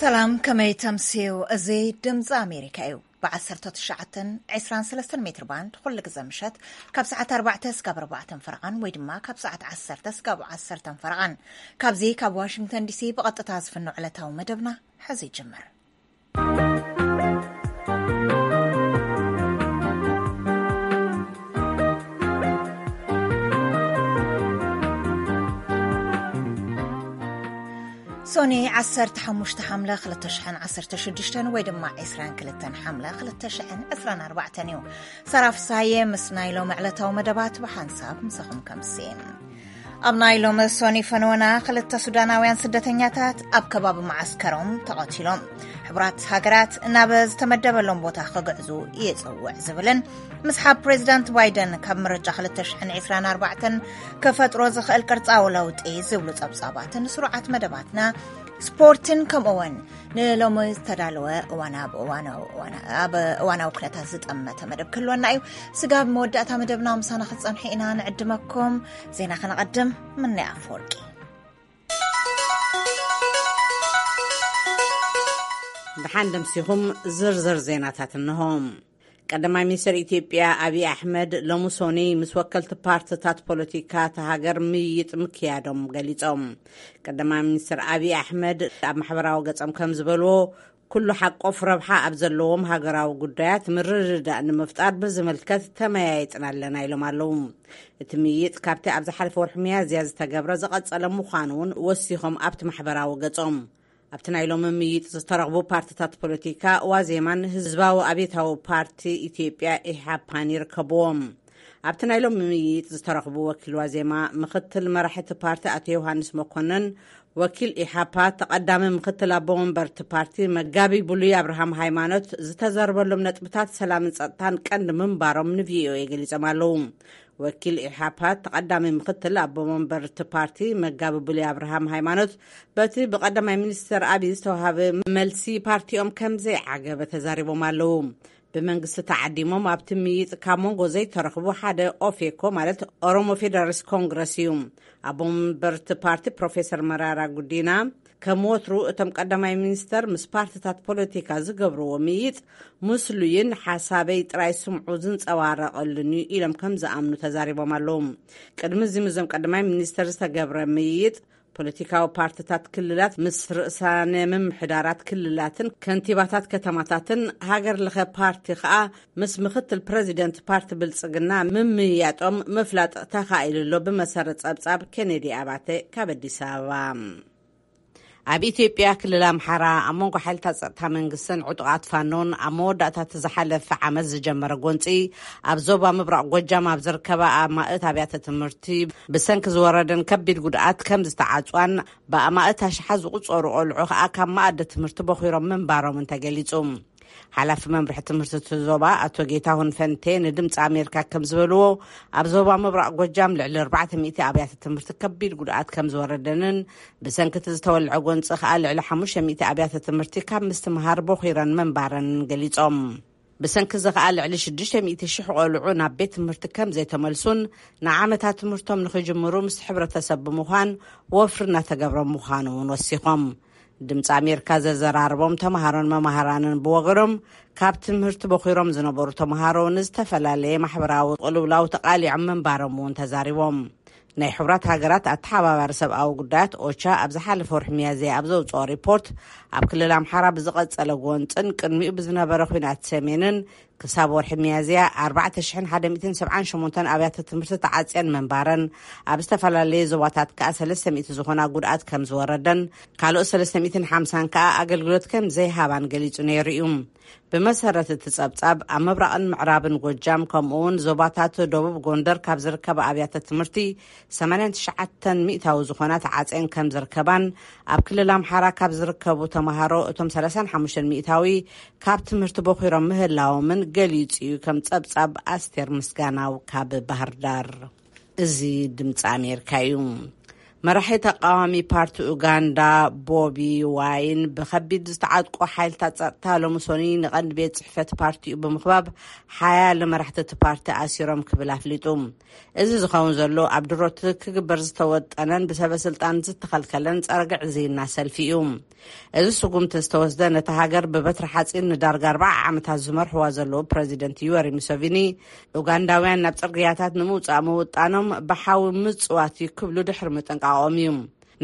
ሰላም፣ ከመይ ተምስዩ? እዚ ድምፂ ኣሜሪካ እዩ። ብ19 23 ሜትር ባንድ ኩሉ ግዜ ምሸት ካብ ሰዓት ኣርባዕተ እስካብ ኣርባዕተን ፈረቓን ወይ ድማ ካብ ሰዓት ዓሰርተ እስካብ ዓሰርተን ፈረቓን። ካብዚ ካብ ዋሽንግተን ዲሲ ብቐጥታ ዝፍኖ ዕለታዊ መደብና ሕዚ ይጅምር። ሶኒ 15 ሓምለ 2016 ወይ ድማ 22 ሓምለ 2024 እዩ። ሰራፍ ሳየ ምስ ናይ ሎም ዕለታዊ መደባት ብሓንሳብ ምሳኹም ከምስን። ኣብ ናይ ሎም ሶኒ ፈነወና ክልተ ሱዳናውያን ስደተኛታት ኣብ ከባቢ መዓስከሮም ተቐቲሎም። ሕቡራት ሃገራት ናብ ዝተመደበሎም ቦታ ክግዕዙ ይጽውዕ ዝብልን ምስሓብ ፕሬዚዳንት ባይደን ካብ ምርጫ 2024 ክፈጥሮ ዝኽእል ቅርጻዊ ለውጢ ዝብሉ ጸብጻባትን ስሩዓት መደባትና ስፖርትን ከምኡውን ንሎሚ ዝተዳለወ እዋን ኣብ እዋናዊ እዋና-፣ ኣብ እዋናዊ ኩነታት ዝጠመተ መደብ ክህልወና እዩ። ስጋብ መወዳእታ መደብና ምሳና ክትጸንሑ ኢና ንዕድመኩም። ዜና ከነቐድም። ምንያ ኣፈወርቂ። ደሓን ደምሲኹም። ዝርዝር ዜናታት እንሆ። ቀዳማይ ሚኒስትር ኢትዮጵያ ኣብይ ኣሕመድ ሎሚ ሶኒ ምስ ወከልቲ ፓርትታት ፖለቲካ እታ ሃገር ምይይጥ ምክያዶም ገሊጾም። ቀዳማይ ሚኒስትር ኣብይ ኣሕመድ ኣብ ማሕበራዊ ገጾም ከም ዝበልዎ፣ ኩሉ ሓቆፍ ረብሓ ኣብ ዘለዎም ሃገራዊ ጉዳያት ምርድዳእ ንምፍጣር ብዝምልከት ተመያይጥና ኣለና ኢሎም ኣለዉ። እቲ ምይይጥ ካብቲ ኣብ ዝሓለፈ ወርሒ ሚያዝያ ዝተገብረ ዝቐጸለ ምዃኑ እውን ወሲኾም ኣብቲ ማሕበራዊ ገጾም። ኣብቲ ናይ ሎሚ ምይይጥ ዝተረኽቡ ፓርትታት ፖለቲካ ዋዜማን ህዝባዊ ኣብዮታዊ ፓርቲ ኢትዮጵያ ኢሓፓን ይርከብዎም። ኣብቲ ናይ ሎሚ ምይይጥ ዝተረኽቡ ወኪል ዋዜማ ምኽትል መራሒ እቲ ፓርቲ ኣቶ ዮሃንስ መኮነን፣ ወኪል ኢሓፓ ተቐዳሚ ምኽትል ኣቦ ወንበር እቲ ፓርቲ መጋቢ ብሉይ ኣብርሃም ሃይማኖት፣ ዝተዘርበሎም ነጥብታት ሰላምን ጸጥታን ቀንዲ ምንባሮም ንቪኦኤ ገሊጾም ኣለዉ። ወኪል ኢሓፓ ተቐዳሚ ምኽትል ኣቦ ወንበር እቲ ፓርቲ መጋቢ ብሉይ ኣብርሃም ሃይማኖት፣ በቲ ብቐዳማይ ሚኒስትር ኣብይ ዝተዋሃበ መልሲ ፓርቲኦም ከም ዘይዓገበ ተዛሪቦም ኣለዉ። ብመንግስቲ ተዓዲሞም ኣብቲ ምይይጥ ካብ መንጎ ዘይተረኽቡ ሓደ ኦፌኮ፣ ማለት ኦሮሞ ፌደራሊስት ኮንግረስ እዩ። ኣቦ ወንበር እቲ ፓርቲ ፕሮፌሰር መራራ ጉዲና፣ ከም ወትሩ እቶም ቀዳማይ ሚኒስተር ምስ ፓርትታት ፖለቲካ ዝገብርዎ ምይይጥ ምስሉይን ሓሳበይ ጥራይ ስምዑ ዝንጸባረቐሉን እዩ ኢሎም ከም ዝኣምኑ ተዛሪቦም ኣለዉ። ቅድሚ እዚ ምስዞም ቀዳማይ ሚኒስተር ዝተገብረ ምይይጥ፣ ፖለቲካዊ ፓርትታት ክልላት ምስ ርእሳነ ምምሕዳራት ክልላትን ከንቲባታት ከተማታትን፣ ሃገር ለኸ ፓርቲ ኸኣ ምስ ምኽትል ፕረዚደንት ፓርቲ ብልጽግና ምምይያጦም ምፍላጥ ተኻኢሉ ኣሎ። ብመሰረት ጸብጻብ ኬኔዲ ኣባተ ካብ ኣዲስ ኣበባ። ኣብ ኢትዮጵያ ክልል ኣምሓራ ኣብ መንጎ ሓይልታት ጸጥታ መንግስትን ዕጡቓት ፋኖን ኣብ መወዳእታ እቲ ዝሓለፈ ዓመት ዝጀመረ ጎንጺ፣ ኣብ ዞባ ምብራቕ ጎጃም ኣብ ዝርከባ ኣማእት ኣብያተ ትምህርቲ ብሰንኪ ዝወረደን ከቢድ ጉድኣት ከም ዝተዓጽዋን ብኣማእት ኣሽሓት ዝቑጸሩ ቆልዑ ከኣ ካብ መኣዲ ትምህርቲ ቦኺሮም ምንባሮምን ተገሊጹ። ሓላፊ መምርሒ ትምህርቲ እቲ ዞባ ኣቶ ጌታሁን ፈንቴ ንድምፂ ኣሜሪካ ከም ዝበልዎ፣ ኣብ ዞባ ምብራቕ ጎጃም ልዕሊ ኣርባዕተ ሚእቲ ኣብያተ ትምህርቲ ከቢድ ጉድኣት ከም ዝወረደንን ብሰንኪ እቲ ዝተወልዐ ጎንፂ ከኣ ልዕሊ ሓሙሽተ ሚእቲ ኣብያተ ትምህርቲ ካብ ምስትምሃር ቦኺረን ምንባረን ገሊጾም። ብሰንኪ እዚ ከኣ ልዕሊ ሽዱሽተ ሚእቲ ሽሕ ቆልዑ ናብ ቤት ትምህርቲ ከም ዘይተመልሱን ንዓመታት ትምህርቶም ንኽጅምሩ ምስ ሕብረተሰብ ብምዃን ወፍሪ እናተገብረ ምዃኑ እውን ወሲኾም። ድምፂ ኣሜሪካ ዘዘራረቦም ተምሃሮን መምሃራንን ብወገኖም፣ ካብ ትምህርቲ ቦኺሮም ዝነበሩ ተምሃሮ ንዝተፈላለየ ማሕበራዊ ቅልውላው ተቓሊዖም ምንባሮም እውን ተዛሪቦም። ናይ ሕቡራት ሃገራት ኣተሓባባሪ ሰብኣዊ ጉዳያት ኦቻ ኣብ ዝሓለፈ ወርሒ ሚያዝያ ኣብ ዘውፅኦ ሪፖርት፣ ኣብ ክልል ኣምሓራ ብዝቐጸለ ጎንፅን ቅድሚኡ ብዝነበረ ኲናት ሰሜንን ክሳብ ወርሒ ሚያዝያ ኣርባዕተ ሽሕን ሓደ ሚእትን ሰብዓን ሸሞንተን ኣብያተ ትምህርቲ ተዓጽየን ምንባረን፣ ኣብ ዝተፈላለየ ዞባታት ከኣ ሰለስተ ሚእቲ ዝኾና ጉድኣት ከም ዝወረደን ካልኦት ሰለስተ ሚእትን ሓምሳን ከኣ ኣገልግሎት ከም ዘይሃባን ገሊጹ ነይሩ እዩ። ብመሰረት እቲ ጸብጻብ፣ ኣብ ምብራቕን ምዕራብን ጎጃም ከምኡውን ዞባታት ደቡብ ጎንደር ካብ ዝርከባ ኣብያተ ትምህርቲ ሰማንያን ትሽዓተን ሚእታዊ ዝኾና ተዓጽየን ከም ዝርከባን፣ ኣብ ክልል ኣምሓራ ካብ ዝርከቡ ተምሃሮ እቶም ሰላሳን ሓሙሽተን ሚእታዊ ካብ ትምህርቲ ቦኺሮም ምህላዎምን ገሊጹ እዩ፣ ከም ጸብጻብ ኣስቴር ምስጋናው ካብ ባህር ዳር። እዚ ድምፂ ኣሜሪካ እዩ። መራሒ ተቃዋሚ ፓርቲ ኡጋንዳ ቦቢ ዋይን ብከቢድ ዝተዓጥቁ ሓይልታት ጸጥታ ሎሚ ሶኒ ንቐንዲ ቤት ጽሕፈት ፓርቲኡ ብምኽባብ ሓያለ መራሕቲ እቲ ፓርቲ ኣሲሮም ክብል ኣፍሊጡ። እዚ ዝኸውን ዘሎ ኣብ ድሮት ክግበር ዝተወጠነን ብሰበ ስልጣን ዝተኸልከለን ጸረ ግዕዝይና ሰልፊ እዩ። እዚ ስጉምቲ ዝተወስደ ነታ ሃገር ብበትሪ ሓጺን ንዳርጋ ኣርባዓ ዓመታት ዝመርሕዋ ዘለዉ ፕረዚደንት ዩወሪ ሙሰቪኒ ኡጋንዳውያን ናብ ጽርግያታት ንምውጻእ ምውጣኖም ብሓዊ ምጽዋት እዩ ክብሉ ድሕሪ ምጥንቃቖም እዩ።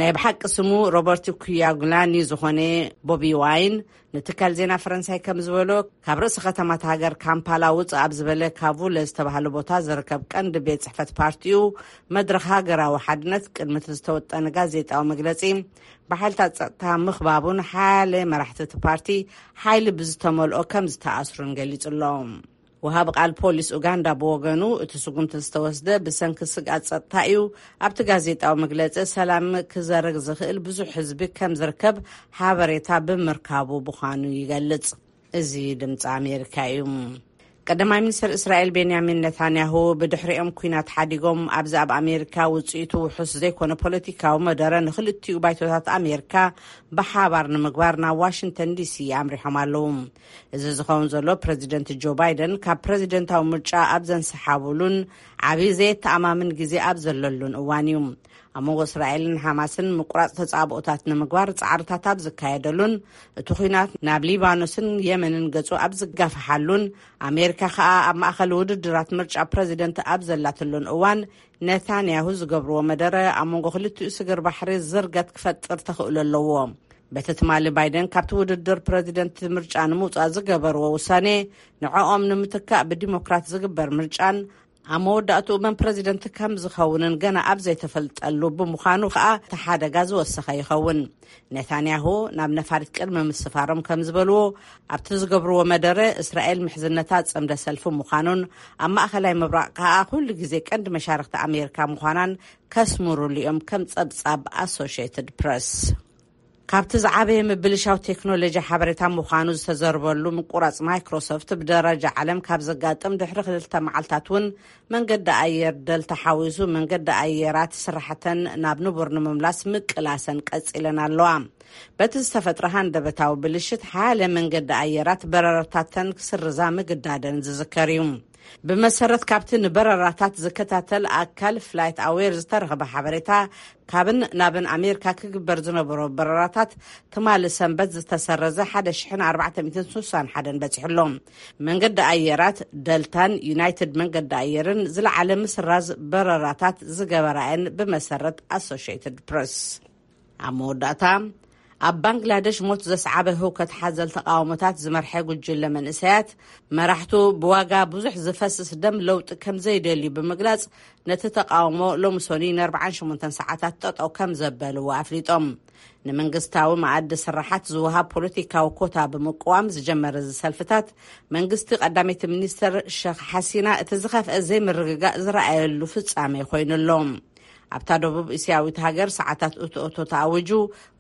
ናይ ብሓቂ ስሙ ሮበርት ኩያጉላኒ ዝኾነ ቦቢ ዋይን ንትካል ዜና ፈረንሳይ ከም ዝበሎ ካብ ርእሲ ከተማት ሃገር ካምፓላ ውጽእ ኣብ ዝበለ ካቡለ ዝተባህለ ቦታ ዝርከብ ቀንዲ ቤት ጽሕፈት ፓርቲኡ መድረኽ ሃገራዊ ሓድነት ቅድሚ እቲ ዝተወጠነ ጋዜጣዊ መግለጺ ብሓይልታት ጸጥታ ምኽባቡን ሓያለ መራሕቲ እቲ ፓርቲ ሓይሊ ብዝተመልኦ ከም ዝተኣስሩን ገሊጹ ኣሎ። ወሃቢ ቃል ፖሊስ ኡጋንዳ ብወገኑ እቲ ስጉምቲ ዝተወስደ ብሰንኪ ስግኣት ጸጥታ እዩ። ኣብቲ ጋዜጣዊ መግለጺ ሰላም ክዘርግ ዝኽእል ብዙሕ ህዝቢ ከም ዝርከብ ሓበሬታ ብምርካቡ ምዃኑ ይገልጽ። እዚ ድምፂ ኣሜሪካ እዩ። ቀዳማይ ሚኒስትር እስራኤል ቤንያሚን ነታንያሁ ብድሕሪኦም ኩናት ሓዲጎም ኣብዚ ኣብ ኣሜሪካ ውፅኢቱ ውሑስ ዘይኮነ ፖለቲካዊ መደረ ንክልቲኡ ባይቶታት ኣሜሪካ ብሓባር ንምግባር ናብ ዋሽንግተን ዲሲ ኣምሪሖም ኣለዉ። እዚ ዝኸውን ዘሎ ፕረዚደንት ጆ ባይደን ካብ ፕረዚደንታዊ ምርጫ ኣብ ዘንሰሓብሉን ዓብዪ ዘየተኣማምን ግዜ ኣብ ዘለሉን እዋን እዩ። ኣብ መንጎ እስራኤልን ሓማስን ምቁራፅ ተፃብኦታት ንምግባር ፃዕርታት ኣብ ዝካየደሉን እቲ ኩናት ናብ ሊባኖስን የመንን ገፁ ኣብ ዝጋፍሓሉን ኣሜሪካ ከኣ ኣብ ማእኸል ውድድራት ምርጫ ፕረዚደንት ኣብ ዘላትሉን እዋን ነታንያሁ ዝገብርዎ መደረ ኣብ መንጎ ክልቲኡ ስግር ባሕሪ ዝርገት ክፈጥር ተኽእሎ ኣለዎ። በቲ ትማሊ ባይደን ካብቲ ውድድር ፕረዚደንት ምርጫ ንምውፃእ ዝገበርዎ ውሳኔ ንዕኦም ንምትካእ ብዲሞክራት ዝግበር ምርጫን ኣብ መወዳእትኡ መን ፕረዚደንት ከም ዝኸውንን ገና ኣብ ዘይተፈልጠሉ ብምዃኑ ከኣ እቲ ሓደጋ ዝወሰኸ ይኸውን። ኔታንያሁ ናብ ነፋሪት ቅድሚ ምስፋሮም ከም ዝበልዎ ኣብቲ ዝገብርዎ መደረ እስራኤል ምሕዝነታ ጽምደ ሰልፊ ምዃኑን ኣብ ማእኸላይ ምብራቕ ከኣ ኩሉ ግዜ ቀንዲ መሻርክቲ ኣሜሪካ ምዃናን ከስምሩሉ እዮም ከም ጸብጻብ ኣሶሽየትድ ፕረስ። ካብቲ ዝዓበየ ምብልሻው ቴክኖሎጂ ሓበሬታ ምዃኑ ዝተዘርበሉ ምቁራጽ ማይክሮሶፍት ብደረጃ ዓለም ካብ ዘጋጥም ድሕሪ ክልተ መዓልታት እውን መንገዲ ኣየር ደልታ ሓዊሱ መንገዲ ኣየራት ስራሕተን ናብ ንቡር ንምምላስ ምቅላሰን ቀጺለን ኣለዋ። በቲ ዝተፈጥረ ሃንደበታዊ ብልሽት ሓያለ መንገዲ ኣየራት በረራታተን ክስርዛ ምግዳደን ዝዝከር እዩ። ብመሰረት ካብቲ ንበረራታት ዝከታተል ኣካል ፍላይት ኣዌር ዝተረኸበ ሓበሬታ ካብን ናብን ኣሜሪካ ክግበር ዝነበሮ በረራታት ትማሊ ሰንበት ዝተሰረዘ ሓደ ሽሕን ኣርባዕተ ሚእትን ስሳን ሓደን በጺሑ ኣሎ። መንገዲ ኣየራት ደልታን ዩናይትድ መንገዲ ኣየርን ዝለዓለ ምስራዝ በረራታት ዝገበራ እየን ብመሰረት ኣሶሽየትድ ፕረስ። ኣብ መወዳእታ ኣብ ባንግላደሽ ሞት ዘስዓበ ህውከት ሓዘል ተቃውሞታት ዝመርሐ ጉጅለ መንእሰያት መራሕቱ ብዋጋ ብዙሕ ዝፈስስ ደም ለውጢ ከም ዘይደልዩ ብምግላጽ ነቲ ተቃውሞ ሎሚ ሶኒ ን ኣርባዓን ሸሞንተን ሰዓታት ጠጠው ከም ዘበልዎ ኣፍሊጦም። ንመንግስታዊ መኣዲ ስራሓት ዝወሃብ ፖለቲካዊ ኮታ ብምቅዋም ዝጀመረ እዚ ሰልፍታት መንግስቲ ቀዳመይቲ ሚኒስተር ሸኽ ሓሲና እቲ ዝኸፍአ ዘይምርግጋእ ዝረኣየሉ ፍጻሜ ኮይኑ ኣሎ። ኣብታ ደቡብ እስያዊት ሃገር ሰዓታት እቶእቶ ተኣዊጁ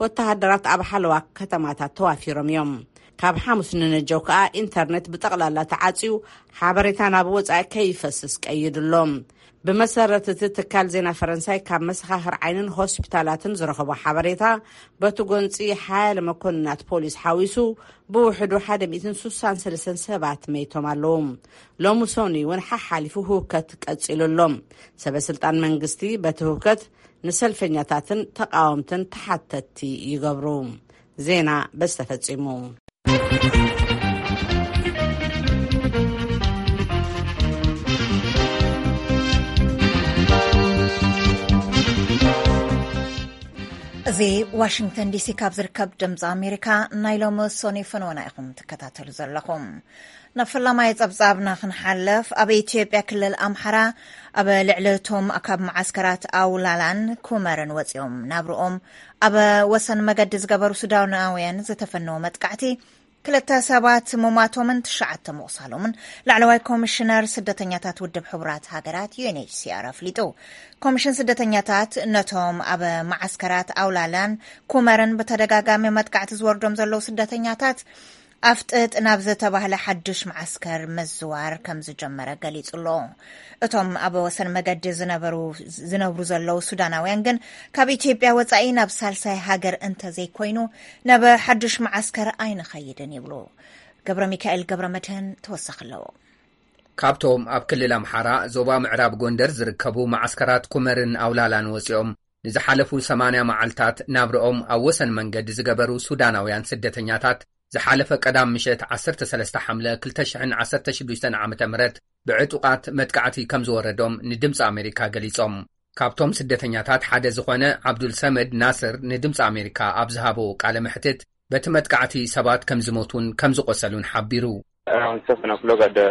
ወተሃደራት ኣብ ሓለዋ ከተማታት ተዋፊሮም እዮም። ካብ ሓሙስ ንነጀው ከኣ ኢንተርኔት ብጠቕላላ ተዓጽዩ ሓበሬታ ናብ ወጻኢ ከይፈስስ ቀይዱ ኣሎ። ብመሰረት እቲ ትካል ዜና ፈረንሳይ ካብ መሰኻኽር ዓይንን ሆስፒታላትን ዝረኸቦ ሓበሬታ በቲ ጎንጺ ሓያለ መኮንናት ፖሊስ ሓዊሱ ብውሕዱ ሓደ ሚእትን ስሳን ሰለስተን ሰባት መይቶም ኣለዉ። ሎሚ ሶኒ እውን ሓሓሊፉ ህውከት ቀጺሉ ኣሎ። ሰበ ስልጣን መንግስቲ በቲ ህውከት ንሰልፈኛታትን ተቃወምትን ተሓተትቲ ይገብሩ። ዜና በዚ ተፈጺሙ። እዚ ዋሽንግተን ዲሲ ካብ ዝርከብ ድምፂ ኣሜሪካ ናይ ሎሚ ሶኒ ፈነወና ኢኹም ትከታተሉ ዘለኹም። ናብ ፈላማይ ጸብጻብና ክንሓልፍ፣ ኣብ ኢትዮጵያ ክልል ኣምሓራ ኣብ ልዕሊ እቶም ካብ መዓስከራት ኣውላላን ኩመርን ወጺኦም ናብርኦም ኣብ ወሰን መገዲ ዝገበሩ ሱዳናውያን ዝተፈነወ መጥቃዕቲ ክልተ ሰባት ምሟቶምን ትሽዓተ ምቑሳሎምን ላዕለዋይ ኮሚሽነር ስደተኛታት ውድብ ሕቡራት ሃገራት ዩ ኤን ኤች ሲ ኣር ኣፍሊጡ። ኮሚሽን ስደተኛታት ነቶም ኣብ መዓስከራት ኣውላላን ኩመርን ብተደጋጋሚ መጥቃዕቲ ዝወርዶም ዘለዉ ስደተኛታት ኣፍጥጥ ናብ ዝተባህለ ሓድሽ መዓስከር ምዝዋር ከም ዝጀመረ ገሊጹ ኣሎ። እቶም ኣብ ወሰን መገዲ ዝነበሩ፣ ዝነብሩ ዘለዉ ሱዳናውያን ግን፣ ካብ ኢትዮጵያ ወጻኢ ናብ ሳልሳይ ሃገር እንተዘይኮይኑ፣ ናብ ሓድሽ መዓስከር ኣይንኸይድን ይብሉ። ገብረ ሚካኤል ገብረ መድህን ተወሳኺ ኣለዎ። ካብቶም ኣብ ክልል ኣምሓራ ዞባ ምዕራብ ጎንደር ዝርከቡ መዓስከራት ኩመርን ኣውላላን ወጺኦም ንዝሓለፉ ሰማንያ መዓልታት ናብርኦም ኣብ ወሰን መንገዲ ዝገበሩ ሱዳናውያን ስደተኛታት፣ ዝሓለፈ ቀዳም ምሸት ዓሰርተ ሰለስተ ሓምለ ክልተ ሽሕን ዓሰርተ ሽዱሽተን ዓመተ ምህረት ብዕጡቓት መጥቃዕቲ ከም ዝወረዶም ንድምፂ ኣሜሪካ ገሊጾም። ካብቶም ስደተኛታት ሓደ ዝኾነ ዓብዱል ሰመድ ናስር ንድምፂ ኣሜሪካ ኣብ ዝሃቦ ቃለ መሕትት፣ በቲ መጥቃዕቲ ሰባት ከም ዝሞቱን ከም ዝቖሰሉን ሓቢሩ። Around seven o'clock at the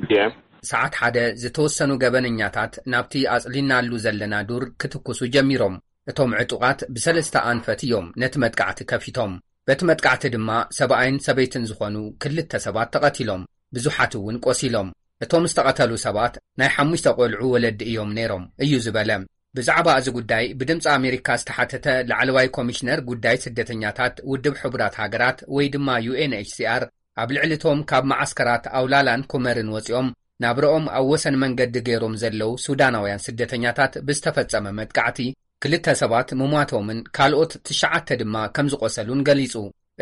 P M. ሰዓት ሓደ ዝተወሰኑ ገበነኛታት ናብቲ ኣጽሊናሉ ዘለና ዱር ክትኩሱ ጀሚሮም። እቶም ዕጡቓት ብሰለስተ ኣንፈት እዮም ነቲ መጥቃዕቲ ከፊቶም። በቲ መጥቃዕቲ ድማ ሰብኣይን ሰበይትን ዝኾኑ ክልተ ሰባት ተቐቲሎም፣ ብዙሓት እውን ቆሲሎም። እቶም ዝተቐተሉ ሰባት ናይ ሓሙሽተ ቆልዑ ወለዲ እዮም ነይሮም፣ እዩ ዝበለ። ብዛዕባ እዚ ጉዳይ ብድምፂ ኣሜሪካ ዝተሓተተ ላዕለዋይ ኮሚሽነር ጉዳይ ስደተኛታት ውድብ ሕቡራት ሃገራት ወይ ድማ ዩ ኤን ኤች ሲ ኣር፣ ኣብ ልዕሊ እቶም ካብ መዓስከራት ኣውላላን ኩመርን ወፂኦም ናብረኦም ኣብ ወሰን መንገዲ ገይሮም ዘለዉ ሱዳናውያን ስደተኛታት ብዝተፈጸመ መጥቃዕቲ ክልተ ሰባት ምሟቶምን ካልኦት ትሽዓተ ድማ ከም ዝቖሰሉን ገሊጹ።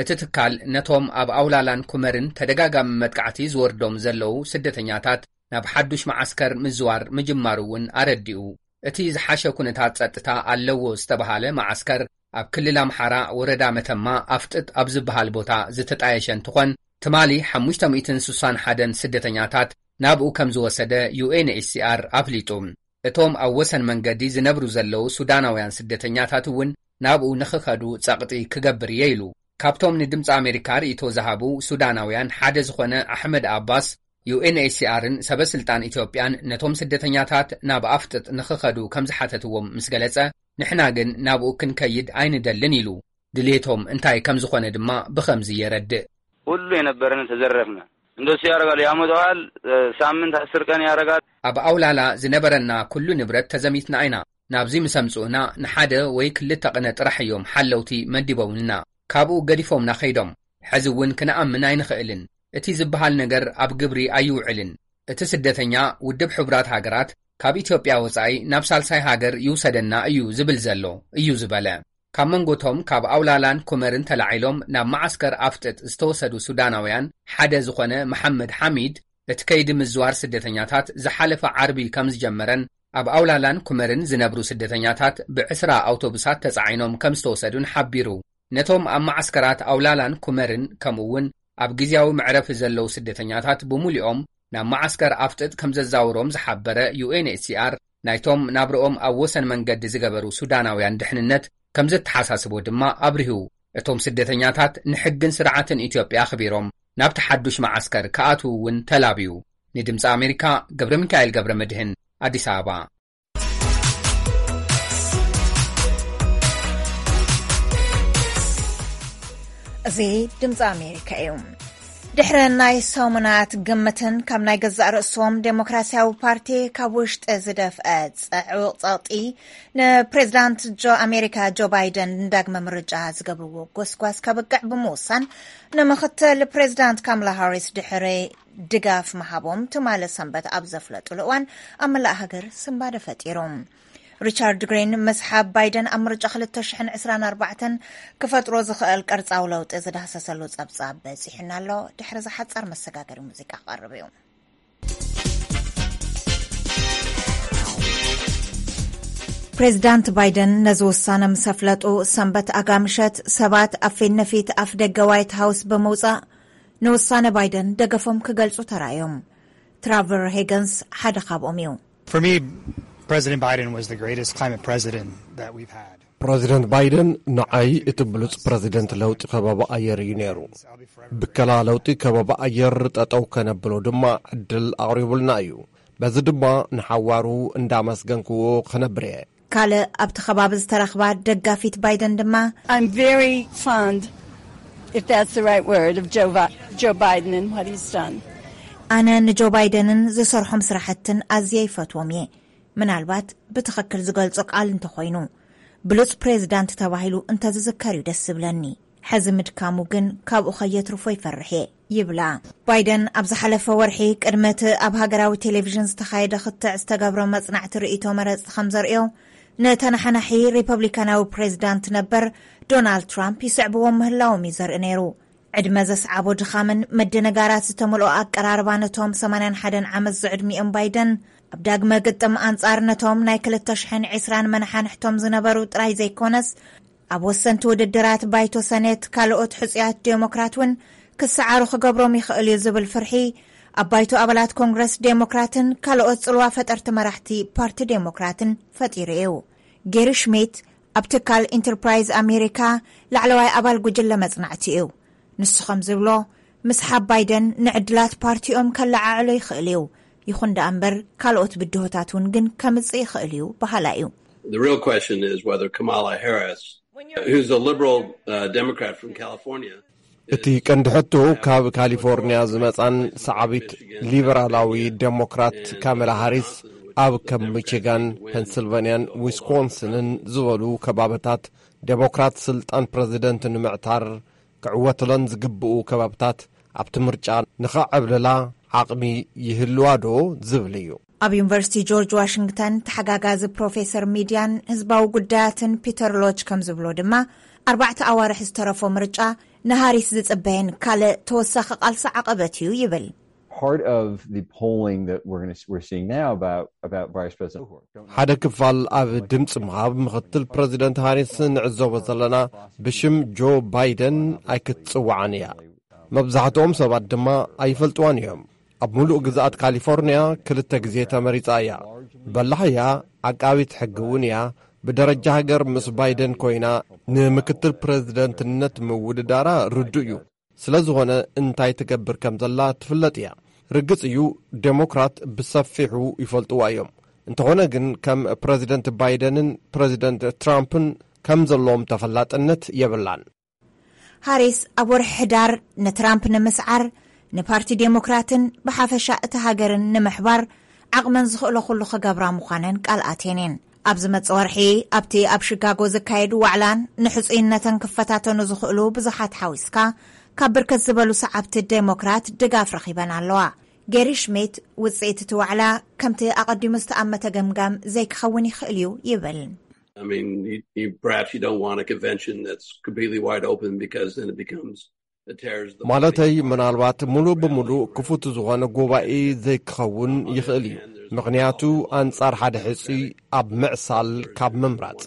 እቲ ትካል ነቶም ኣብ ኣውላላን ኩመርን ተደጋጋሚ መጥቃዕቲ ዝወርዶም ዘለዉ ስደተኛታት ናብ ሓዱሽ መዓስከር ምዝዋር ምጅማሩ እውን ኣረዲኡ። እቲ ዝሓሸ ኩነታት ጸጥታ ኣለዎ ዝተባሃለ መዓስከር ኣብ ክልል ኣምሓራ ወረዳ መተማ ኣፍጥጥ ኣብ ዝበሃል ቦታ ዝተጣየሸ እንትኾን፣ ትማሊ ሓሙሽተ ሚእትን ስሳን ሓደን ስደተኛታት ናብኡ ከም ዝወሰደ ዩ ኤን ኤች ሲ ኣር ኣፍሊጡ። እቶም ኣብ ወሰን መንገዲ ዝነብሩ ዘለዉ ሱዳናውያን ስደተኛታት እውን ናብኡ ንኽኸዱ ጸቕጢ ክገብር እየ ኢሉ። ካብቶም ንድምፂ ኣሜሪካ ርእይቶ ዝሃቡ ሱዳናውያን ሓደ ዝኾነ ኣሕመድ ኣባስ፣ ዩ ኤን ኤች ሲ ኣርን ሰበ ስልጣን ኢትዮጵያን ነቶም ስደተኛታት ናብ ኣፍጥጥ ንኽኸዱ ከም ዝሓተትዎም ምስ ገለጸ፣ ንሕና ግን ናብኡ ክንከይድ ኣይንደልን ኢሉ። ድሌቶም እንታይ ከም ዝኾነ ድማ ብኸምዚ የረድእ። ሁሉ የነበረን ተዘረፍነ። እንደሱ ያደርጋሉ። ያመጣዋል፣ ሳምንት አስር ቀን ያደርጋል። ኣብ ኣውላላ ዝነበረና ኩሉ ንብረት ተዘሚትና ኢና። ናብዚ ምስ ኣምጽኡና ንሓደ ወይ ክልተ ቅነ ጥራሕ እዮም ሓለውቲ መዲቦምልና። ካብኡ ገዲፎምና ከይዶም። ሕዚ እውን ክንኣምን ኣይንኽእልን። እቲ ዝበሃል ነገር ኣብ ግብሪ ኣይውዕልን። እቲ ስደተኛ ውድብ ሕቡራት ሃገራት ካብ ኢትዮጵያ ወጻኢ ናብ ሳልሳይ ሃገር ይውሰደና እዩ ዝብል ዘሎ፣ እዩ ዝበለ። ካብ መንጎቶም ካብ ኣውላላን ኩመርን ተላዒሎም ናብ መዓስከር ኣፍጥጥ ዝተወሰዱ ሱዳናውያን ሓደ ዝኾነ መሓመድ ሓሚድ፣ እቲ ከይዲ ምዝዋር ስደተኛታት ዝሓለፈ ዓርቢ ከም ዝጀመረን ኣብ ኣውላላን ኩመርን ዝነብሩ ስደተኛታት ብዕስራ ኣውቶቡሳት ተጻዒኖም ከም ዝተወሰዱን ሓቢሩ። ነቶም ኣብ መዓስከራት ኣውላላን ኩመርን ከምኡ እውን ኣብ ግዝያዊ መዕረፊ ዘለዉ ስደተኛታት ብሙሉኦም ናብ መዓስከር ኣፍጥጥ ከም ዘዛውሮም ዝሓበረ ዩ ኤን ኤች ሲ ኣር፣ ናይቶም ናብርኦም ኣብ ወሰን መንገዲ ዝገበሩ ሱዳናውያን ድሕንነት ከም ዘተሓሳስቦ ድማ ኣብሪሁ። እቶም ስደተኛታት ንሕግን ስርዓትን ኢትዮጵያ ኣኽቢሮም ናብቲ ሓዱሽ መዓስከር ክኣትዉ እውን ተላብዩ። ንድምፂ ኣሜሪካ ገብረ ሚካኤል ገብረ መድህን፣ ኣዲስ ኣበባ። እዚ ድምፂ ኣሜሪካ እዩ። ድሕሪ ናይ ሰሙናት ግምትን ካብ ናይ ገዛእ ርእሶም ዴሞክራሲያዊ ፓርቲ ካብ ውሽጢ ዝደፍአ ጽዑቕ ጸቕጢ፣ ንፕሬዚዳንት ጆ፣ ኣሜሪካ ጆ ባይደን ንዳግመ ምርጫ ዝገብርዎ ጎስጓስ ከብቅዕ ብምውሳን፣ ንምኽትል ፕሬዚዳንት ካምላ ሃሪስ ድሕሪ ድጋፍ ምሃቦም ትማሊ ሰንበት ኣብ ዘፍለጡሉ እዋን፣ ኣብ መላእ ሃገር ስንባደ ፈጢሩ። ሪቻርድ ግሪን፣ ምስሓብ ባይደን ኣብ ምርጫ ክልተ ሽሕን ዕስራን ኣርባዕተን ክፈጥሮ ዝኽእል ቅርጻዊ ለውጢ ዝዳህሰሰሉ ጸብጻብ በጺሑና ኣሎ። ድሕሪ እዚ ሓጻር መሰጋገሪ ሙዚቃ ክቐርብ እዩ። ፕሬዚዳንት ባይደን ነዚ ውሳነ ምስ ኣፍለጡ፣ ሰንበት ኣጋምሸት ሰባት ኣብ ፊት ንፊት ኣፍ ደገ ዋይት ሃውስ ብምውጻእ፣ ንውሳነ ባይደን ደገፎም ክገልጹ ተራእዮም። ትራቨር ሄገንስ ሓደ ካብኦም እዩ። For me, President Biden was the greatest climate president that we've had. ፕረዚደንት ባይደን ንዓይ እቲ ብሉጽ ፕረዚደንት ለውጢ ከባቢ ኣየር እዩ ነይሩ። ብከላ ለውጢ ከባቢ ኣየር ጠጠው ከነብሎ ድማ ዕድል ኣቕሪቡልና እዩ። በዚ ድማ ንሓዋሩ እንዳመስገንክዎ ክነብር እየ። ካልእ ኣብቲ ከባቢ ዝተረኽባ ደጋፊት ባይደን ድማ፣ I'm very fond, if that's the right word, of Joe, Vi- Joe Biden and what he's done. ኣነ ንጆ ባይደንን ዝሰርሖም ስራሕትን ኣዝየ ይፈትዎም እየ። ምናልባት ብትኽክል ዝገልጾ ቃል እንተኾይኑ፣ ብሉጽ ፕሬዚዳንት ተባሂሉ እንተዝዝከር እዩ ደስ ዝብለኒ። ሕዚ ምድካሙ ግን ካብኡ ከየትርፎ ይፈርሕ እየ ይብላ። ባይደን ኣብ ዝሓለፈ ወርሒ ቅድሚ እቲ ኣብ ሃገራዊ ቴሌቪዥን ዝተኻየደ ክትዕ ዝተገብረ መጽናዕቲ ርእይቶ መረጽቲ ከም ዘርእዮ፣ ንተናሓናሒ ሪፐብሊካናዊ ፕሬዚዳንት ነበር ዶናልድ ትራምፕ ይስዕብዎም ምህላዎም እዩ ዘርኢ ነይሩ። ዕድመ ዘስዓቦ ድኻምን ምድንጋራት ዝተመልኦ ኣቀራርባ ነቶም ሰማንያን ሓደን ዓመት ዝዕድሚኦም ባይደን፣ ኣብ ዳግመ ግጥም ኣንጻር ነቶም ናይ ክልተ ሽሕን ዕስራን መናሓንሕቶም ዝነበሩ ጥራይ ዘይኮነስ፣ ኣብ ወሰንቲ ውድድራት ባይቶ ሰኔት ካልኦት ሕጹያት ዴሞክራት እውን ክሰዓሩ ክገብሮም ይኽእል እዩ ዝብል ፍርሒ ኣብ ባይቶ ኣባላት ኮንግረስ ዴሞክራትን ካልኦት ጽልዋ ፈጠርቲ መራሕቲ ፓርቲ ዴሞክራትን ፈጢሩ እዩ። ጌሪ ሽሚት ኣብ ትካል ኢንተርፕራይዝ ኣሜሪካ ላዕለዋይ ኣባል ጉጅለ መጽናዕቲ እዩ። ንሱ ከም ዝብሎ፣ ምስሓብ ባይደን ንዕድላት ፓርቲኦም ከለዓዕሎ ይኽእል እዩ። ይኹን ደኣ እምበር፣ ካልኦት ብድሆታት እውን ግን ከምጽእ ይኽእል እዩ በሃላይ እዩ። The real question is whether Kamala Harris, who's a liberal, uh, Democrat from California, እቲ ቀንዲ ሕቶ ካብ ካሊፎርኒያ ዝመጻን ሰዓቢት ሊበራላዊ ዴሞክራት ካሜላ ሃሪስ ኣብ ከም ሚቺጋን፣ ፔንስልቫንያን ዊስኮንስንን ዝበሉ ከባብታት ዴሞክራት ስልጣን ፕረዚደንት ንምዕታር ክዕወትለን ዝግብኡ ከባብታት ኣብቲ ምርጫ ንኸዕብልላ ዓቕሚ ይህልዋ ዶ ዝብል እዩ። ኣብ ዩኒቨርሲቲ ጆርጅ ዋሽንግተን ተሓጋጋዚ ፕሮፌሰር ሚድያን ህዝባዊ ጉዳያትን ፒተር ሎች ከም ዝብሎ ድማ፣ ኣርባዕተ ኣዋርሕ ዝተረፎ ምርጫ ንሃሪስ ዝጽበየን ካልእ ተወሳኺ ቃልሲ ዓቐበት እዩ ይብል። Part of the polling that we're gonna, we're seeing now about, about Vice President ሓደ ክፋል ኣብ ድምፂ ምሃብ ምኽትል ፕረዚደንት ሃሪስ ንዕዘቦ ዘለና፣ ብሽም ጆ ባይደን ኣይክትፅዋዕን እያ። መብዛሕትኦም ሰባት ድማ ኣይፈልጥዋን እዮም። ኣብ ሙሉእ ግዝኣት ካሊፎርኒያ ክልተ ግዜ ተመሪጻ እያ። በላሕ እያ፣ ዓቃቢት ሕጊ እውን እያ። ብደረጃ ሃገር ምስ ባይደን ኮይና ንምክትል ፕረዚደንትነት ምውድዳራ ርዱእ እዩ። ስለ ዝኾነ እንታይ ትገብር ከም ዘላ ትፍለጥ እያ። ርግጽ እዩ፣ ዴሞክራት ብሰፊሑ ይፈልጥዋ እዮም። እንተኾነ ግን ከም ፕረዚደንት ባይደንን ፕረዚደንት ትራምፕን ከም ዘለዎም ተፈላጥነት የብላን። ሃሪስ ኣብ ወርሒ ሕዳር ንትራምፕ ንምስዓር ንፓርቲ ዴሞክራትን ብሓፈሻ እቲ ሃገርን ንምሕባር ዓቕመን ዝኽእሎ ኩሉ ክገብራ ምዃነን ቃል ኣትየን እየን። ኣብ ዝመጽእ ወርሒ ኣብቲ ኣብ ሺካጎ ዝካየድ ዋዕላን ንሕጹይነተን ክፈታተኑ ዝኽእሉ ብዙሓት ሓዊስካ ካብ ብርክት ዝበሉ ሰዓብቲ ዴሞክራት ድጋፍ ረኺበን ኣለዋ። ጌሪ ሽሚት ውጽኢት እቲ ዋዕላ ከምቲ ኣቐዲሙ ዝተኣመተ ገምጋም ዘይክኸውን ይኽእል እዩ ይብል። I mean, you, you, perhaps you don't want a convention that's completely wide open because then it becomes, it tears the ማለተይ ምናልባት ሙሉእ ብምሉእ ክፉት ዝኾነ ጉባኤ ዘይክኸውን ይኽእል እዩ። ምኽንያቱ ኣንጻር ሓደ ሕጹይ ኣብ ምዕሳል ካብ ምምራጽ።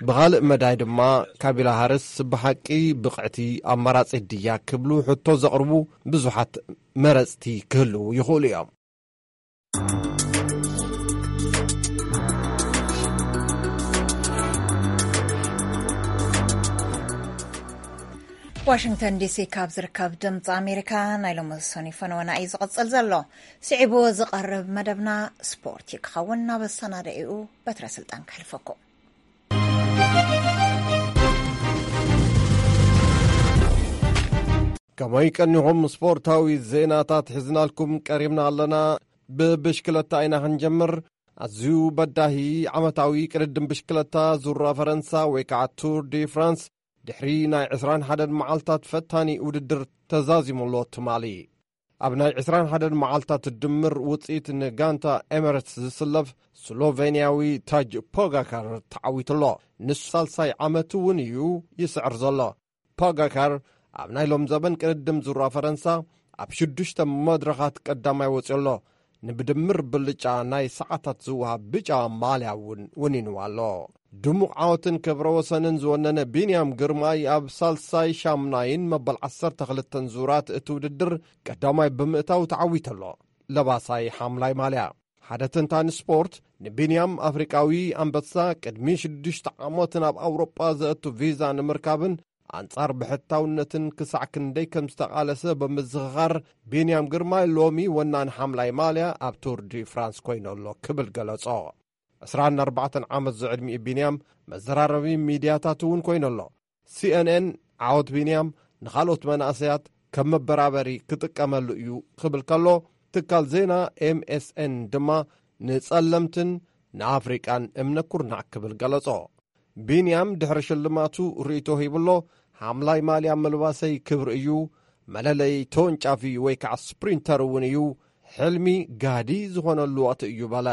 ብኻልእ መዳይ ድማ ካቢላ ሃርስ ብሓቂ ብቕዕቲ ኣማራጺት ድያ ክብሉ ሕቶ ዘቕርቡ ብዙሓት መረጽቲ ክህልዉ ይኽእሉ እዮም። ዋሽንግተን ዲሲ ካብ ዝርከብ ድምፂ ኣሜሪካ ናይ ሎሚ ሰኑይ ፈነወና እዩ ዝቕፅል ዘሎ። ስዒቡ ዝቐርብ መደብና ስፖርት እዩ ክኸውን። ናብ ኣሰናዳኢኡ በትረ ስልጣን ከሕልፈኩም። ከመይ ቀኒኹም? ስፖርታዊ ዜናታት ሒዝናልኩም ቀሪብና ኣለና። ብብሽክለታ ኢና ክንጀምር። ኣዝዩ በዳሂ ዓመታዊ ቅድድም ብሽክለታ ዙራ ፈረንሳ ወይ ከዓ ቱር ዲ ፍራንስ ድሕሪ ናይ ዕስራን ሓደን መዓልታት ፈታኒ ውድድር ተዛዚሙ ኣሎ ትማሊ። ኣብ ናይ ዕስራን ሓደን መዓልታት ድምር ውፅኢት ንጋንታ ኤምሬትስ ዝስለፍ ስሎቬንያዊ ታጅ ፖጋካር ተዓዊቱ ኣሎ። ንሱ ሳልሳይ ዓመቱ እውን እዩ ይስዕር ዘሎ። ፖጋካር ኣብ ናይ ሎም ዘበን ቅድድም ዙራ ፈረንሳ ኣብ ሽዱሽተ መድረኻት ቀዳማይ ወፂኡ ኣሎ። ንብድምር ብልጫ ናይ ሰዓታት ዝወሃብ ብጫ ማልያ እውን ወኒንዋ ኣሎ። ድሙቕ ዓወትን ክብረ ወሰንን ዝወነነ ቢንያም ግርማይ ኣብ ሳልሳይ ሻምናይን መበል ዓሰርተ ክልተን ዙራት እቲ ውድድር ቀዳማይ ብምእታው ተዓዊቱ ኣሎ። ለባሳይ ሓምላይ ማልያ። ሓደ ተንታኒ ስፖርት ንቢንያም ኣፍሪቃዊ ኣንበሳ ቅድሚ ሽዱሽተ ዓመት ናብ ኣውሮጳ ዘእቱ ቪዛ ንምርካብን ኣንጻር ብሕታውነትን ክሳዕ ክንደይ ከም ዝተቓለሰ ብምዝኽኻር፣ ቢንያም ግርማይ ሎሚ ወናኒ ሓምላይ ማልያ ኣብ ቱር ዲ ፍራንስ ኮይኑ ኣሎ ክብል ገለጾ። ዕስራን ኣርባዕተን ዓመት ዝዕድሚኡ ቢንያም መዘራረቢ ሚድያታት እውን ኮይኑ ኣሎ። ሲኤንኤን ዓወት ቢንያም ንኻልኦት መናእሰያት ከም መበራበሪ ክጥቀመሉ እዩ ክብል ከሎ፣ ትካል ዜና ኤምኤስኤን ድማ ንጸለምትን ንኣፍሪቃን እምነ ኩርናዕ ክብል ገለጾ። ቢንያም ድሕሪ ሽልማቱ ርእይቶ ሂብሎ፣ ሓምላይ ማልያ ምልባሰይ ክብሪ እዩ፣ መለለይ ተወንጫፊ ወይ ከዓ ስፕሪንተር እውን እዩ፣ ሕልሚ ጋዲ ዝኾነሉ ወቕቲ እዩ በለ።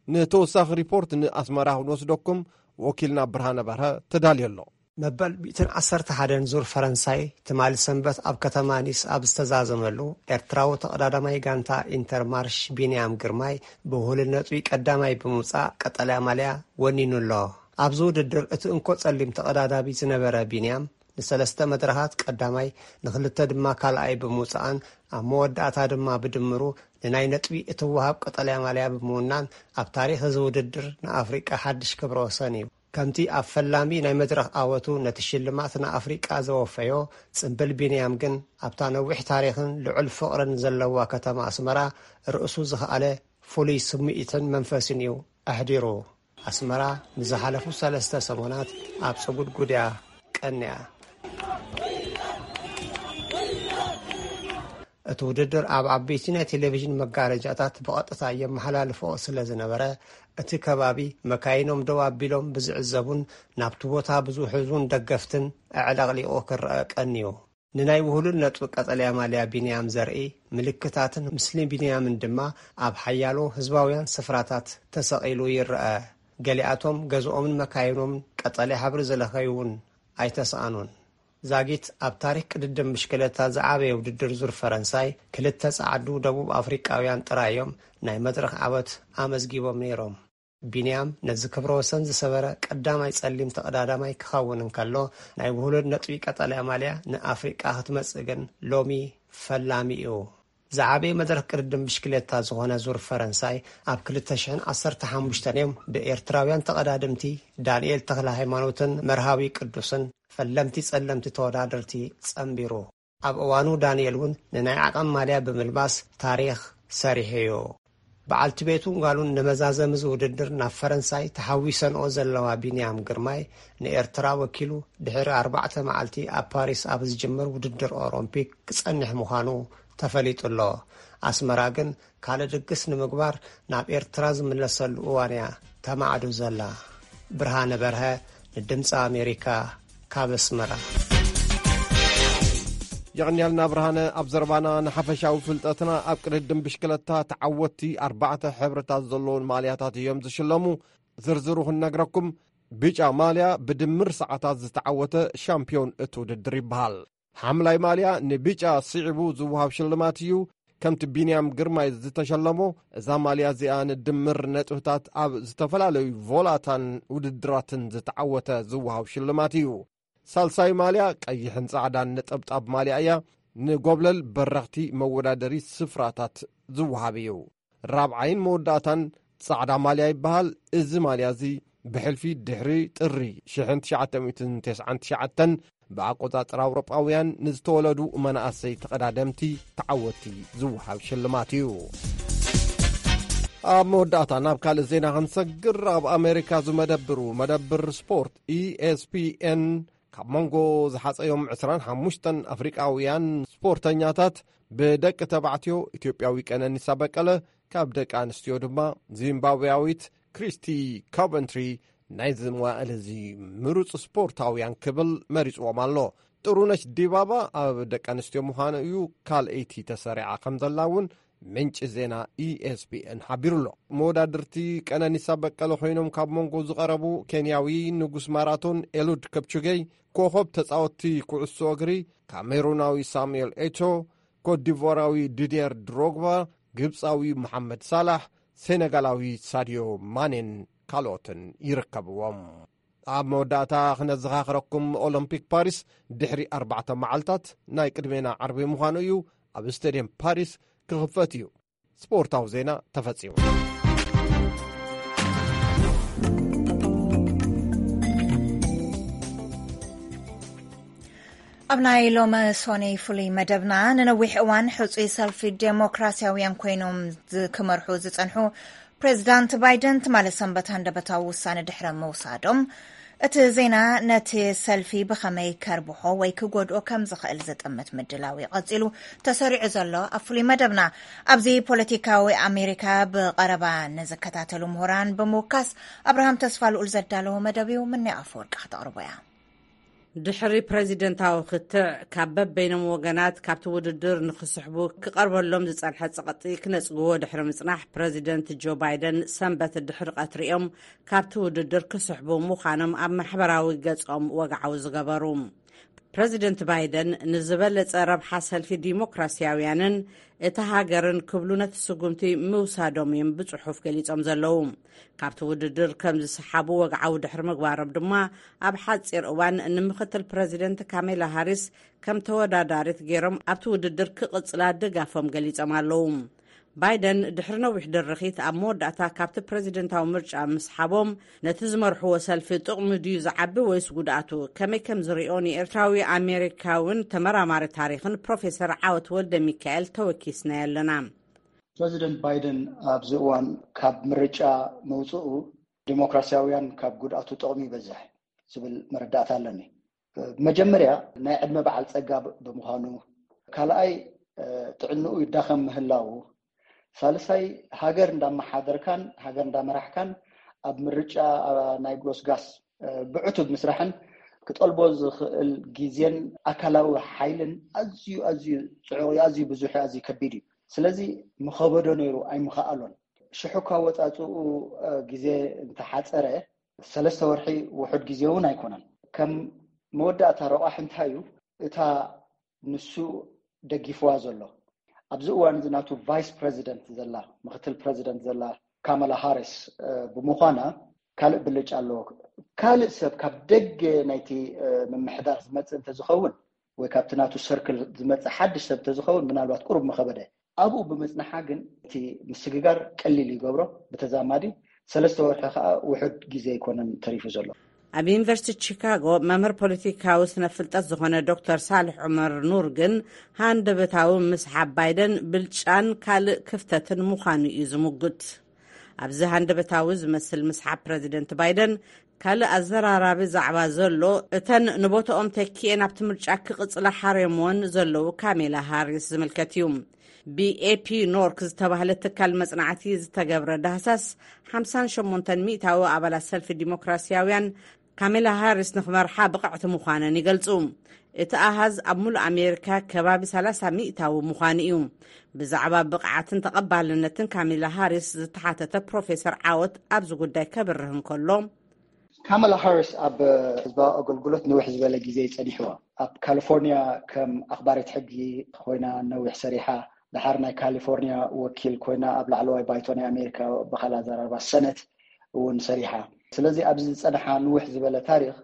ንተወሳኺ ሪፖርት ንኣስመራ ክንወስደኩም ወኪልና ብርሃነ በርሀ ተዳልዮ ኣሎ። መበል ሚእትን ዓሰርተ ሓደን ዙር ፈረንሳይ ትማሊ ሰንበት ኣብ ከተማ ኒስ ኣብ ዝተዛዘመሉ፣ ኤርትራዊ ተቐዳዳማይ ጋንታ ኢንተርማርሽ ቢንያም ግርማይ ብውህሉል ነጥቢ ቀዳማይ ብምውጻእ ቀጠልያ ማልያ ወኒኑ ኣሎ። ኣብዚ ውድድር እቲ እንኮ ጸሊም ተቐዳዳቢ ዝነበረ ቢንያም ንሰለስተ መድረኻት ቀዳማይ፣ ንኽልተ ድማ ካልኣይ ብምውጻእን ኣብ መወዳእታ ድማ ብድምሩ ንናይ ነጥቢ እትወሃብ ቀጠልያ ማልያ ብምውናን ኣብ ታሪኽ እዚ ውድድር ንኣፍሪቃ ሓድሽ ክብረ ወሰን እዩ። ከምቲ ኣብ ፈላሚ ናይ መድረኽ ዓወቱ ነቲ ሽልማት ንኣፍሪቃ ዘወፈዮ፣ ጽምብል ቢንያም ግን ኣብታ ነዊሕ ታሪኽን ልዑል ፍቕርን ዘለዋ ከተማ ኣስመራ ርእሱ ዝኸኣለ ፍሉይ ስምዒትን መንፈስን እዩ ኣሕዲሩ። ኣስመራ ንዝሓለፉ ሰለስተ ሰሙናት ኣብ ጽጉድጉድ እያ ቀንያ። እቲ ውድድር ኣብ ዓበይቲ ናይ ቴሌቪዥን መጋረጃታት ብቐጥታ የመሓላልፎ ስለ ዝነበረ፣ እቲ ከባቢ መካይኖም ደው ኣቢሎም ብዝዕዘቡን ናብቲ ቦታ ብዝውሕዙን ደገፍትን ኣዕለቕሊቑ ክረአ ቀንዩ። ንናይ ውህሉል ነጥቢ ቀጠልያ ማልያ ቢንያም ዘርኢ ምልክታትን ምስሊ ቢንያምን ድማ ኣብ ሓያሎ ህዝባውያን ስፍራታት ተሰቒሉ ይረአ። ገሊኣቶም ገዝኦምን መካይኖምን ቀጠልያ ሕብሪ ዝለኸዩ እውን ኣይተሰኣኑን። ዛጊት ኣብ ታሪኽ ቅድድም ብሽክለታ ዝዓበየ ውድድር ዙር ፈረንሳይ፣ ክልተ ጸዓዱ ደቡብ ኣፍሪቃውያን ጥራይ እዮም ናይ መድረኽ ዓወት ኣመዝጊቦም ነይሮም። ቢንያም ነዚ ክብረ ወሰን ዝሰበረ ቀዳማይ ጸሊም ተቐዳዳማይ ክኸውን እንከሎ፣ ናይ ውህሉል ነጥቢ ቀጠልያ ማልያ ንኣፍሪቃ ክትመጽእ ግን ሎሚ ፈላሚ እዩ። ዝዓበየ መድረኽ ቅድድም ብሽክሌታ ዝኾነ ዙር ፈረንሳይ ኣብ ክልተ ሽሕን ዓሰርተ ሓሙሽተን እዮም ብኤርትራውያን ተቐዳደምቲ ዳንኤል ተኽለ ሃይማኖትን መርሃዊ ቅዱስን ፈለምቲ ጸለምቲ ተወዳደርቲ ጸንቢሩ። ኣብ እዋኑ ዳንኤል እውን ንናይ ዓቐን ማልያ ብምልባስ ታሪኽ ሰሪሑ እዩ። በዓልቲ ቤቱን ጓሉን ንመዛዘሚ እዚ ውድድር ናብ ፈረንሳይ ተሓዊሰንኦ ዘለዋ ቢንያም ግርማይ ንኤርትራ ወኪሉ ድሕሪ ኣርባዕተ መዓልቲ ኣብ ፓሪስ ኣብ ዝጅምር ውድድር ኦሎምፒክ ክጸንሕ ምዃኑ ተፈሊጡ ኣሎ። ኣስመራ ግን ካልእ ድግስ ንምግባር ናብ ኤርትራ ዝምለሰሉ እዋን እያ ተማዕዱ ዘላ። ብርሃነ በርሀ ንድምፂ ኣሜሪካ ካብ ኣስመራ። የቕንያልና ብርሃነ። ኣብ ዘረባና ንሓፈሻዊ ፍልጠትና ኣብ ቅድድም ብሽክለታ ተዓወትቲ ኣርባዕተ ሕብርታት ዘለዎም ማልያታት እዮም ዝሽለሙ። ዝርዝሩ ክንነግረኩም፣ ብጫ ማልያ ብድምር ሰዓታት ዝተዓወተ ሻምፒዮን እቲ ውድድር ይበሃል። ሓምላይ ማልያ ንብጫ ስዒቡ ዝወሃብ ሽልማት እዩ። ከምቲ ቢንያም ግርማይ ዝተሸለሞ፣ እዛ ማልያ እዚኣ ንድምር ነጥብታት ኣብ ዝተፈላለዩ ቮላታን ውድድራትን ዝተዓወተ ዝወሃብ ሽልማት እዩ። ሳልሳይ ማልያ ቀይሕን ጻዕዳን ነጠብጣብ ማልያ እያ። ንጎብለል በረኽቲ መወዳደሪ ስፍራታት ዝወሃብ እዩ። ራብዓይን መወዳእታን ጻዕዳ ማልያ ይበሃል። እዚ ማልያ እዚ ብሕልፊ ድሕሪ ጥሪ ሽሕን ትሽዓተ ሚእትን ተስዓን ትሽዓተን ብኣቆጻጽራ ኣውሮጳውያን ንዝተወለዱ መናእሰይ ተቐዳደምቲ ተዓወትቲ ዝወሃብ ሽልማት እዩ። ኣብ መወዳእታ ናብ ካልእ ዜና ክንሰግር፣ ኣብ ኣሜሪካ ዝመደብሩ መደብር ስፖርት ኢኤስፒኤን ካብ መንጎ ዝሓጸዮም ዕስራን ሓሙሽተን ኣፍሪቃውያን ስፖርተኛታት ብደቂ ተባዕትዮ ኢትዮጵያዊ ቀነኒሳ በቀለ፣ ካብ ደቂ ኣንስትዮ ድማ ዚምባብያዊት ክሪስቲ ኮቨንትሪ ናይዚ መዋእል እዚ ምሩጽ ስፖርታውያን ክብል መሪጽዎም ኣሎ። ጥሩነሽ ዲባባ ኣብ ደቂ ኣንስትዮ ምዃኑ እዩ ካልኣይቲ ተሰሪዓ ከም ዘላ እውን ምንጪ ዜና ኢኤስቢኤን ሓቢሩ ኣሎ። መወዳድርቲ ቀነኒሳ በቀለ ኮይኖም ካብ መንጎ ዝቐረቡ ኬንያዊ ንጉስ ማራቶን ኤሉድ ከፕቹጌይ፣ ኮኸብ ተጻወትቲ ኩዕሶ እግሪ ካሜሩናዊ ሳሙኤል ኤቶ፣ ኮትዲቯራዊ ዲድየር ድሮግባ፣ ግብጻዊ መሓመድ ሳላሕ፣ ሴነጋላዊ ሳድዮ ማኔን ካልኦትን ይርከብዎም። ኣብ መወዳእታ ክነዘኻኽረኩም፣ ኦሎምፒክ ፓሪስ ድሕሪ ኣርባዕተ መዓልታት ናይ ቅድሜና ዓርቢ ምዃኑ እዩ፣ ኣብ ስቴድየም ፓሪስ ክኽፈት እዩ። ስፖርታዊ ዜና ተፈጺሙ። ኣብ ናይ ሎሚ ሶኒ ፍሉይ መደብና፣ ንነዊሕ እዋን ሕጹይ ሰልፊ ዴሞክራሲያውያን ኮይኖም ዝ-፣ ክመርሑ ዝጸንሑ ፕሬዚዳንት ባይደን ትማሊ ሰንበት ሃንደበታዊ ውሳነ ድሕሪ ምውሳዶም፣ እቲ ዜና ነቲ ሰልፊ ብኸመይ ከርብሖ ወይ ክጎድኦ ከም ዝኽእል ዝጥምት ምድላው እዩ ቀጺሉ ተሰሪዑ ዘሎ። ኣብ ፍሉይ መደብና፣ ኣብዚ ፖለቲካዊ ኣሜሪካ ብቐረባ ንዝከታተሉ ምሁራን ብምውካስ፣ ኣብርሃም ተስፋ ልኡል ዘዳለዎ መደብ እዩ። ምንያ ኣፈወርቂ ከተቕርቦ እያ። ድሕሪ ፕረዚደንታዊ ክትዕ ካብ በበይኖም ወገናት ካብቲ ውድድር ንክስሕቡ ክቐርበሎም ዝጸንሐ ጸቕጢ ክነጽግዎ ድሕሪ ምጽናሕ፣ ፕረዚደንት ጆ ባይደን ሰንበት ድሕሪ ቀትሪኦም ካብቲ ውድድር ክስሕቡ ምዃኖም ኣብ ማሕበራዊ ገጾም ወግዓዊ ዝገበሩ። ፕረዚደንት ባይደን ንዝበለጸ ረብሓ ሰልፊ ዲሞክራሲያውያንን እታ ሃገርን ክብሉ ነቲ ስጉምቲ ምውሳዶም እዮም ብጽሑፍ ገሊጾም ዘለዉ። ካብቲ ውድድር ከም ዝሰሓቡ ወግዓዊ ድሕሪ ምግባሮም ድማ፣ ኣብ ሓጺር እዋን ንምክትል ፕረዚደንት ካሜላ ሃሪስ ከም ተወዳዳሪት ገይሮም ኣብቲ ውድድር ክቕጽላ ድጋፎም ገሊጾም ኣለዉ። ባይደን ድሕሪ ነዊሕ ድርኺት ኣብ መወዳእታ ካብቲ ፕረዚደንታዊ ምርጫ ምስሓቦም፣ ነቲ ዝመርሕዎ ሰልፊ ጥቕሚ ድዩ ዝዓቢ ወይስ ጉድኣቱ ከመይ ከም ዝሪኦ ንኤርትራዊ ኣሜሪካውን ተመራማሪ ታሪኽን ፕሮፌሰር ዓወት ወልደ ሚካኤል ተወኪስናዮ ኣለና። ፕረዚደንት ባይደን ኣብዚ እዋን ካብ ምርጫ መውፅኡ ዲሞክራሲያውያን ካብ ጉድኣቱ ጥቕሚ ይበዝሕ ዝብል መረዳእታ ኣለኒ። መጀመርያ ናይ ዕድመ በዓል ፀጋ ብምዃኑ፣ ካልኣይ ጥዕንኡ ይዳኸም ምህላው፣ ሳልሳይ ሃገር እንዳመሓደርካን ሃገር እንዳመራሕካን ኣብ ምርጫ ናይ ጎስጋስ ብዕቱብ ምስራሕን ክጠልቦ ዝኽእል ግዜን ኣካላዊ ሓይልን ኣዝዩ ኣዝዩ ፅዑቕ እዩ፣ ኣዝዩ ብዙሕ እዩ፣ ኣዝዩ ከቢድ እዩ። ስለዚ ምኸበዶ ነይሩ ኣይምኸኣሎን። ሽሑ ካብ ወፃፅኡ ግዜ እንተሓፀረ ሰለስተ ወርሒ ውሑድ ግዜ እውን ኣይኮነን። ከም መወዳእታ ረቋሕ እንታይ እዩ? እታ ንሱ ደጊፍዋ ዘሎ ኣብዚ እዋን እዚ ናቱ ቫይስ ፕረዚደንት ዘላ ምክትል ፕረዚደንት ዘላ ካማላ ሃሪስ ብምዃና ካልእ ብልጫ ኣለዎ። ካልእ ሰብ ካብ ደገ ናይቲ ምምሕዳር ዝመፅእ እንተዝኸውን ወይ ካብቲ ናቱ ሰርክል ዝመፅእ ሓድሽ ሰብ እንተዝኸውን ምናልባት ቁሩብ ምኸበደ። ኣብኡ ብምፅንሓ ግን እቲ ምስግጋር ቀሊል ይገብሮ። ብተዛማዲ ሰለስተ ወርሒ ከዓ ውሑድ ግዜ ኣይኮነን ተሪፉ ዘሎ። ኣብ ዩኒቨርሲቲ ቺካጎ መምህር ፖለቲካዊ ስነ ፍልጠት ዝኾነ ዶክተር ሳልሕ ዑመር ኑር ግን ሃንደበታዊ ምስሓብ ባይደን ብልጫን ካልእ ክፍተትን ምዃኑ እዩ ዝምጉት። ኣብዚ ሃንደበታዊ ዝመስል ምስሓብ ፕረዚደንት ባይደን ካልእ ኣዘራራቢ ዛዕባ ዘሎ እተን ንቦታኦም ተኪኤን ኣብቲ ምርጫ ክቕጽላ ሓርዮምወን ዘለዉ ካሜላ ሃሪስ ዝምልከት እዩ። ብኤፒ ኖርክ ዝተባህለ ትካል መጽናዕቲ ዝተገብረ ዳህሳስ ሓምሳን ሸሞንተን ሚእታዊ ኣባላት ሰልፊ ዲሞክራሲያውያን ካሜላ ሃሪስ ንክመርሓ ብቕዕቲ ምዃነን ይገልጹ። እቲ ኣሃዝ ኣብ ሙሉእ ኣሜሪካ ከባቢ ሰላሳ ሚእታዊ ምዃኑ እዩ። ብዛዕባ ብቕዓትን ተቐባልነትን ካሜላ ሃሪስ ዝተሓተተ ፕሮፌሰር ዓወት ኣብዚ ጉዳይ ከብርህ እንከሎ፣ ካማላ ሃሪስ ኣብ ህዝባዊ ኣገልግሎት ንውሕ ዝበለ ግዜ ይጸኒሕዋ። ኣብ ካሊፎርኒያ ከም ኣኽባሪት ሕጊ ኮይና ነዊሕ ሰሪሓ። ድሓር ናይ ካሊፎርኒያ ወኪል ኮይና ኣብ ላዕለዋይ ባይቶ ናይ ኣሜሪካ ብኻል ኣዘራርባ ሰነት እውን ሰሪሓ። ስለዚ ኣብዚ ዝጸንሓ ንውሕ ዝበለ ታሪኽ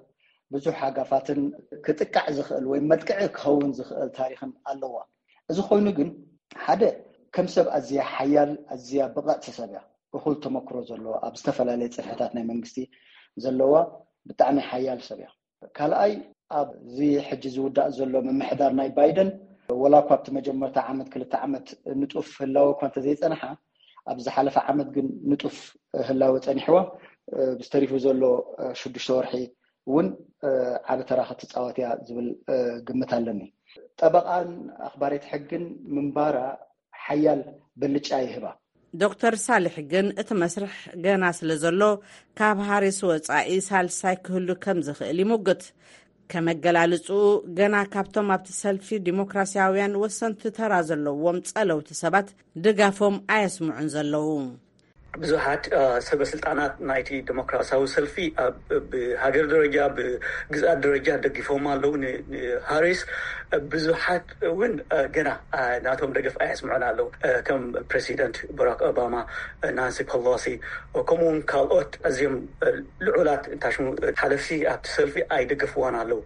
ብዙሕ ሃጋፋትን ክጥቃዕ ዝኽእል ወይ መጥቅዒ ክኸውን ዝኽእል ታሪኽን ኣለዋ። እዚ ኮይኑ ግን ሓደ ከም ሰብ ኣዝያ ሓያል ኣዝያ ብቐዕቲ ሰብ እያ። እኹል ተመክሮ ዘለዎ ኣብ ዝተፈላለየ ጽፍሕታት ናይ መንግስቲ ዘለዋ ብጣዕሚ ሓያል ሰብ እያ። ካልኣይ ኣብዚ ሕጂ ዝውዳእ ዘሎ ምምሕዳር ናይ ባይደን ወላ እኳ ኣብቲ መጀመርታ ዓመት ክልተ ዓመት ንጡፍ ህላወ እኳ እንተዘይጸንሓ ኣብ ዝሓለፈ ዓመት ግን ንጡፍ ህላወ ጸኒሕዋ። ብዝተሪፉ ዘሎ ሽዱሽተ ወርሒ እውን ዓቢ ተራ ክትፃወት እያ ዝብል ግምት ኣለኒ። ጠበቓን ኣኽባሪት ሕግን ምንባራ ሓያል ብልጫ ይህባ። ዶክተር ሳልሕ ግን እቲ መስርሕ ገና ስለ ዘሎ ካብ ሃሪስ ወጻኢ ሳልሳይ ክህሉ ከም ዝኽእል ይምጉት። ከመገላልጽኡ ገና ካብቶም ኣብቲ ሰልፊ ዲሞክራሲያውያን ወሰንቲ ተራ ዘለዎም ጸለውቲ ሰባት ድጋፎም ኣየስምዑን ዘለዉ። ብዙሓት ሰበ ስልጣናት ናይቲ ዲሞክራሲያዊ ሰልፊ ብሃገር ደረጃ ብግዝኣት ደረጃ ደጊፎም ኣለዉ። ንሃሪስ ብዙሓት እውን ገና ናቶም ደገፍ ኣየስምዑን ኣለዉ። ከም ፕሬዚደንት ባራክ ኦባማ፣ ናንሲ ፐሎሲ ከምኡውን ካልኦት ኣዝዮም ልዑላት እንታሽሙ ሓለፍቲ ኣብቲ ሰልፊ ኣይደገፍዋን ኣለዉ።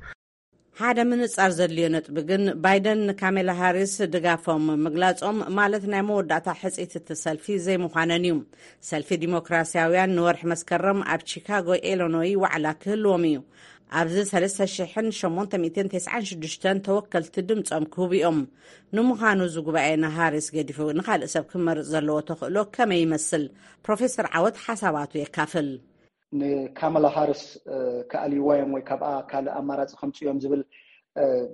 ሓደ ምንጻር ዘድልዮ ነጥቢ ግን ባይደን ንካሜላ ሃሪስ ድጋፎም ምግላጾም ማለት ናይ መወዳእታ ሕጽይቲ እቲ ሰልፊ ዘይምዃነን እዩ። ሰልፊ ዲሞክራሲያውያን ንወርሒ መስከረም ኣብ ቺካጎ ኢሎኖይ ዋዕላ ክህልዎም እዩ። ኣብዚ ሰለስተ ሽሕን ሸሞንተ ሚእትን ተስዓን ሽዱሽተን ተወከልቲ ድምጾም ክህቡ እዮም። ንምዃኑ እዚ ጉባኤ ንሃሪስ ገዲፉ ንኻልእ ሰብ ክመርጽ ዘለዎ ተኽእሎ ከመይ ይመስል? ፕሮፌሰር ዓወት ሓሳባቱ የካፍል። ንካማላ ሃሪስ ክኣልይዋ እዮም ወይ ካብኣ ካልእ ኣማራፂ ከምፅኡ እዮም ዝብል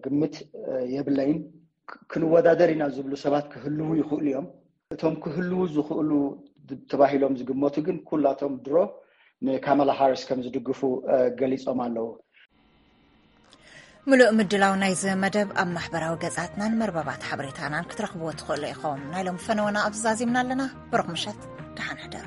ግምት የብለይን። ክንወዳደር ኢና ዝብሉ ሰባት ክህልዉ ይኽእሉ እዮም። እቶም ክህልዉ ዝኽእሉ ተባሂሎም ዝግመቱ ግን ኩላቶም ድሮ ንካማላ ሃሪስ ከም ዝድግፉ ገሊፆም ኣለዉ። ምሉእ ምድላው ናይዚ መደብ ኣብ ማሕበራዊ ገጻትናን መርበባት ሓበሬታናን ክትረኽብዎ ትኽእሉ ኢኹም። ናይ ሎም ፈነወና ኣብዚ ዛዚምና ኣለና። ብሩኽ ምሸት፣ ደሓን ሕደሩ።